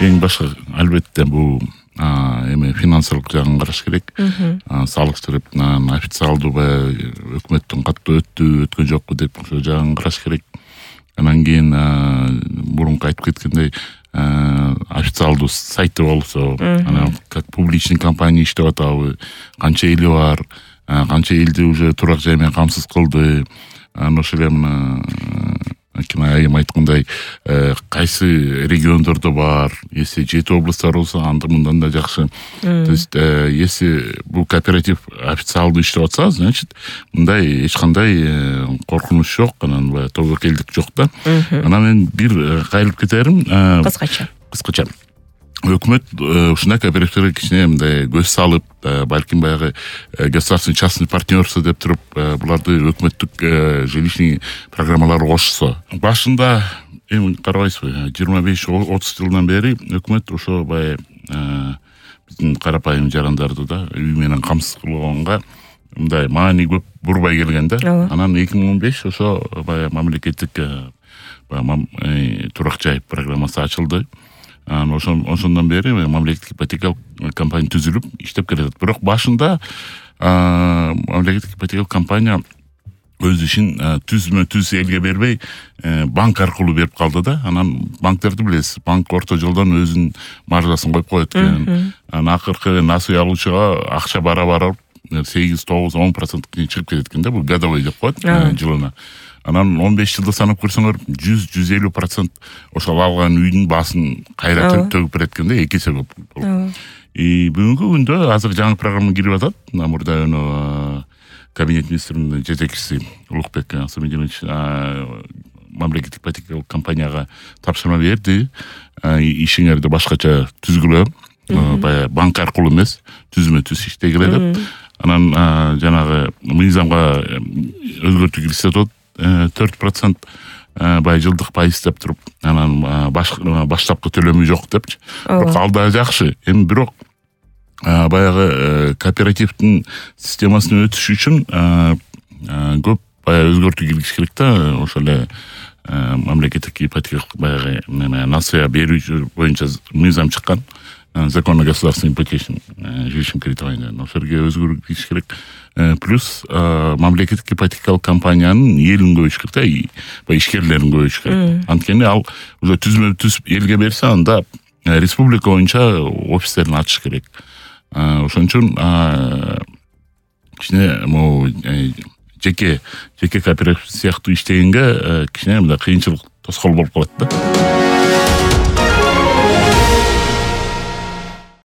Эң башка албетте бул эми финансылык жагын караш керек. Салык тарапынан официалдуу баягы өкмөттүн каттуу өткөн жокпу деп ошол жагын караш керек. Анан кийин мурунку айтып кеткендей официалдуу сайты болсо, анан как публичный компания иштеп атабы, канча эли бар, канча элди уже турак жай менен камсыз кылды. Анан ошол эле айым айткандай кайсы региондордо бар, если 7 областтар болсо анда мындан да жакшы. То есть если бул кооператив официалдуу иштеп атса, значит мындай эч кандай коркунуч жок, анан баягы тобокелдик жок да. Анан мен бир кайрылып кетерим, кыскача өкмөт ушундай кооперативтерге кичине мындай көз салып, балким баягы государственный частный партнерство деп туруп буларды өкмөттүк жилищный программаларга кошсо. Башында эми карабайсызбы, 25-30 жылдан бери өкмөт ошо баягы биздин карапайым жарандарды да үй менен камсыз кылганга мындай маани көп бурбай келген да. Анан 2015 ошо баягы мамлекеттик турак жай программасы ачылды. Ошондон бери мамлекеттик ипотекалык компания түзүлүп иштеп келет. Бирок башында мамлекеттик ипотекалык компания өз ишин түз элге бербей банк аркылуу берип калды да. Анан банктерди билесиз, банк орто жолдон өзүнүн маржасын коюп коет экен. Анан акыркы насый алуучуга акча бара 8-9-10% чыгып кетет экен да. Бул годовой деп коет жылына. Анан 15 жылда санап көрсөңөр 100-150% ошол алган үйдүн баасын кайра төгүп берет экен да, 2 эсе көп. Бүгүнкү күндө азыр жаңы программа кирип атат. Мурда кабинет министринин жетекчиси Улукбек Асамидинович мамлекеттик ипотекалык компанияга тапшырма берди. Ишиңерди башкача түзгүлө, баягы банк аркылуу эмес, түзмө-түз иштегиле деп. Анан жанагы мыйзамга өзгөртүү киргизсе болот. 4% баягы жылдык пайыз деп туруп, анан баштапкы төлөмү жок депчи. Бирок ал да жакшы. Эми бирок баягы кооперативдин системасына өтүш үчүн көп баягы өзгөртүү киргизиш керек да. Ошол эле мамлекеттик ипотекалык баягы насыя берүү боюнча мыйзам чыккан. Закон о государственном ипотечном жилищном кредитовании. Ошолорго өзгөртүү киргизиш керек. Плюс мамлекеттик ипотекалык компаниянын элин көбөйтүш керек да, баягы ишкерлерин көбөйтүш керек. Анткени ал уже түз элге берсе, анда республика боюнча офистерин ачыш керек. Ошон үчүн кичине могу жеке кооператив сыяктуу иштегенге кичине мындай кыйынчылык тоскоол болуп калат да.